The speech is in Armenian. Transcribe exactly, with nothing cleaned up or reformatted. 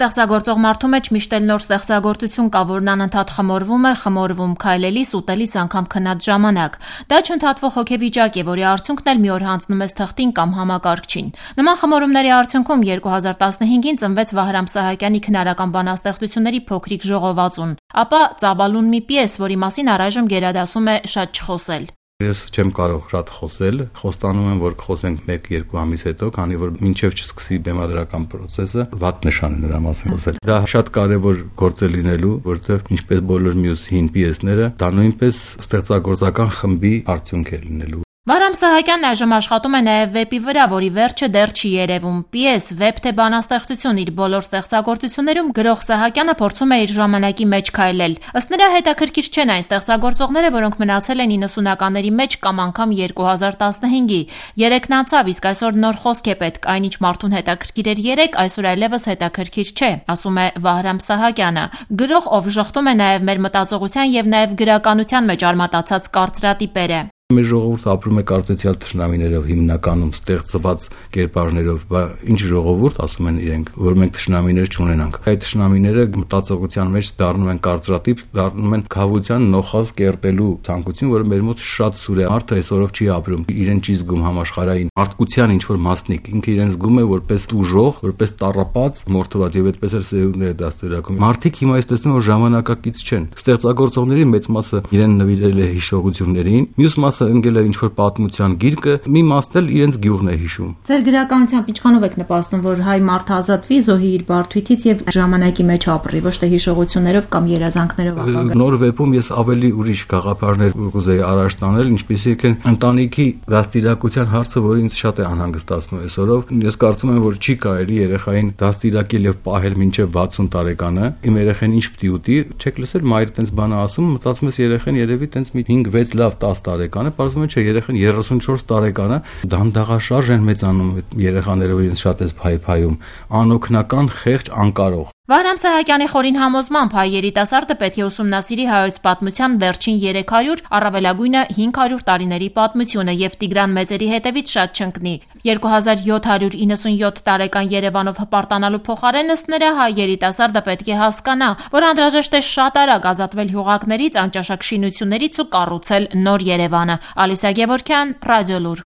Ստեղծագործող մարդու մեջ միշտ էլ նոր ստեղծագործություն կա, որն անընդհատ խմորվում է, խմորվում քայլելիս, ուտելիս, անգամ քնած ժամանակ։ Դա չընդհատվող հոգեվիճակ է, որի արդյունքն էլ մի օր հանձնում ես թղթին կամ համակարգչին։ Նման խմորումների արդյունքում երկու հազար տասնհինգին ծնվեց Վահրամ Սահակյանի քնարական բանաստեղծությունների փոքրիկ ժողովածուն, ապա Ծաբալուն մի պիես, որի մասին առայժմ գերադասում է շատ չխոսել։ Ես չեմ կարող շատ խոսել, խոստանում եմ, որ կխոսենք մեկ-երկու ամիս հետո, քանի որ մինչև չսկսի բեմադրական process-ը, վատ նշան է նրա մասին խոսել։ Դա շատ կարևոր գործ է լինելու, որովհետև ինչպես բոլոր մյուս հին պիեսները, դա նույնպես ստեղծագործական խմբի արդյունք է լինելու։ Վահրամ Սահակյանն այժմ աշխատում է նաև վեպի վրա, որի վերջը դեռ չի երևում։ Պիես, վեպ թե բանաստեղծություն իր բոլոր ստեղծագործություններում գրող Սահակյանը փորձում է իր ժամանակի մեջ քայլել։ Ըստ նրա հետաքրքիր չեն այն ստեղծագործողները, որոնք մնացել են իննսունականների մեջ կամ անգամ երկու հազար տասնհինգի։ Երեքն անցավ, իսկ այսօր նոր խոսք է պետք, այն ինչ մարդուն հետաքրքիր էր երեկ, այսօր այլևս հետաքրքիր չէ, ասում է Վահրամ Սահակյանը։ Գրող, ով ժխտում է նաև մեր մտածողության եւ նաև գրականության մեջ արմատացած կարծրատիպերը։ Մեր ժողովուրդը ապրում է կարծեցյալ թշնամիներով, հիմնականում ստեղծված կերպարներով, բա ինչ ժողովուրդ, ասում են իրենք, որ մենք թշնամիներ չունենանք։ Այդ թշնամիները մտածողության մեջ դառնում են կարծրատիպ, դառնում են քավության նոխազ կերտելու ցանկություն, որը մեր մոտ շատ սուր է։ Մարդը այսօրով չի ապրում, իրեն չի զգում համաշխարհային մարդկության ինչ որ մասնիկ, ինքը իրեն զգում է որպես տուժող, որպես տառապած, մորթված, եւ այդպես էլ սերունդները դաստիարակում։ Մարդիկ հիմա այս տեսնում որ ժամանակակից չեն։ Ստեղծագործողների մեծ մասը իրեն նվիրել է հիշողություններին, մյուս մասը ընկել է ինչ-որ պատմության գիրկը, մի մասն էլ իրենց գյուղն է հիշում։ Ձեր գրականությամբ ինչքանով եք նպաստում, որ հայ մարդը ազատվի, զոհի իր բարդույթից եւ ժամանակի մեջ ապրի, ոչ թե հիշողություններով կամ երազանքներով ապագա։ Նոր վեպում ես ավելի ուրիշ գաղափարներ կուզեի առաջ տանել, ինչպեսիք են ընտանիքի դաստիարակության հարցը, որը ինձ շատ է անհանգստացնում այսօրով։ Ես կարծում եմ, որ չի կարելի երեխային դաստիարակել եւ պահել մինչեւ վաթսուն տարեկանը։ Իմ երեխան ինչ պիտի ուտի, չեք լսել մայրը տենց բան ասում, մտածում ես երեխան երևի տենց մի հինգ վեց լավ տաս տարեկան է, պարզվում է չէ, երեխան երեսունչորս տարեկան է, դանդաղաշարժ են մեծանում երեխաները, որ ինձ շատ էս փայփայում, անօգնական, խեղճ, անկարող։ Վահրամ Սահակյանի խորին համոզմամբ հայ երիտասարդը պետք է ուսումնասիրի հայոց պատմության վերջին երեք հարյուր, առավելագույնը հինգ հարյուր տարիների պատմությունը եւ Տիգրան Մեծերի հետևից շատ չընկնի։ երկու հազար յոթ հարյուր իննսունյոթ տարեկան Երևանով հպարտանալու փոխարեն ըստ նրա հայ երիտասարդը պետք է հասկանա, որ անհրաժեշտ է շատ արագ ազատվել հյուղակներից, անճաշակ շինություններից ու կառուցել նոր Երևանը։ Ալիսա Գևորգյան, Ռադիոլուր։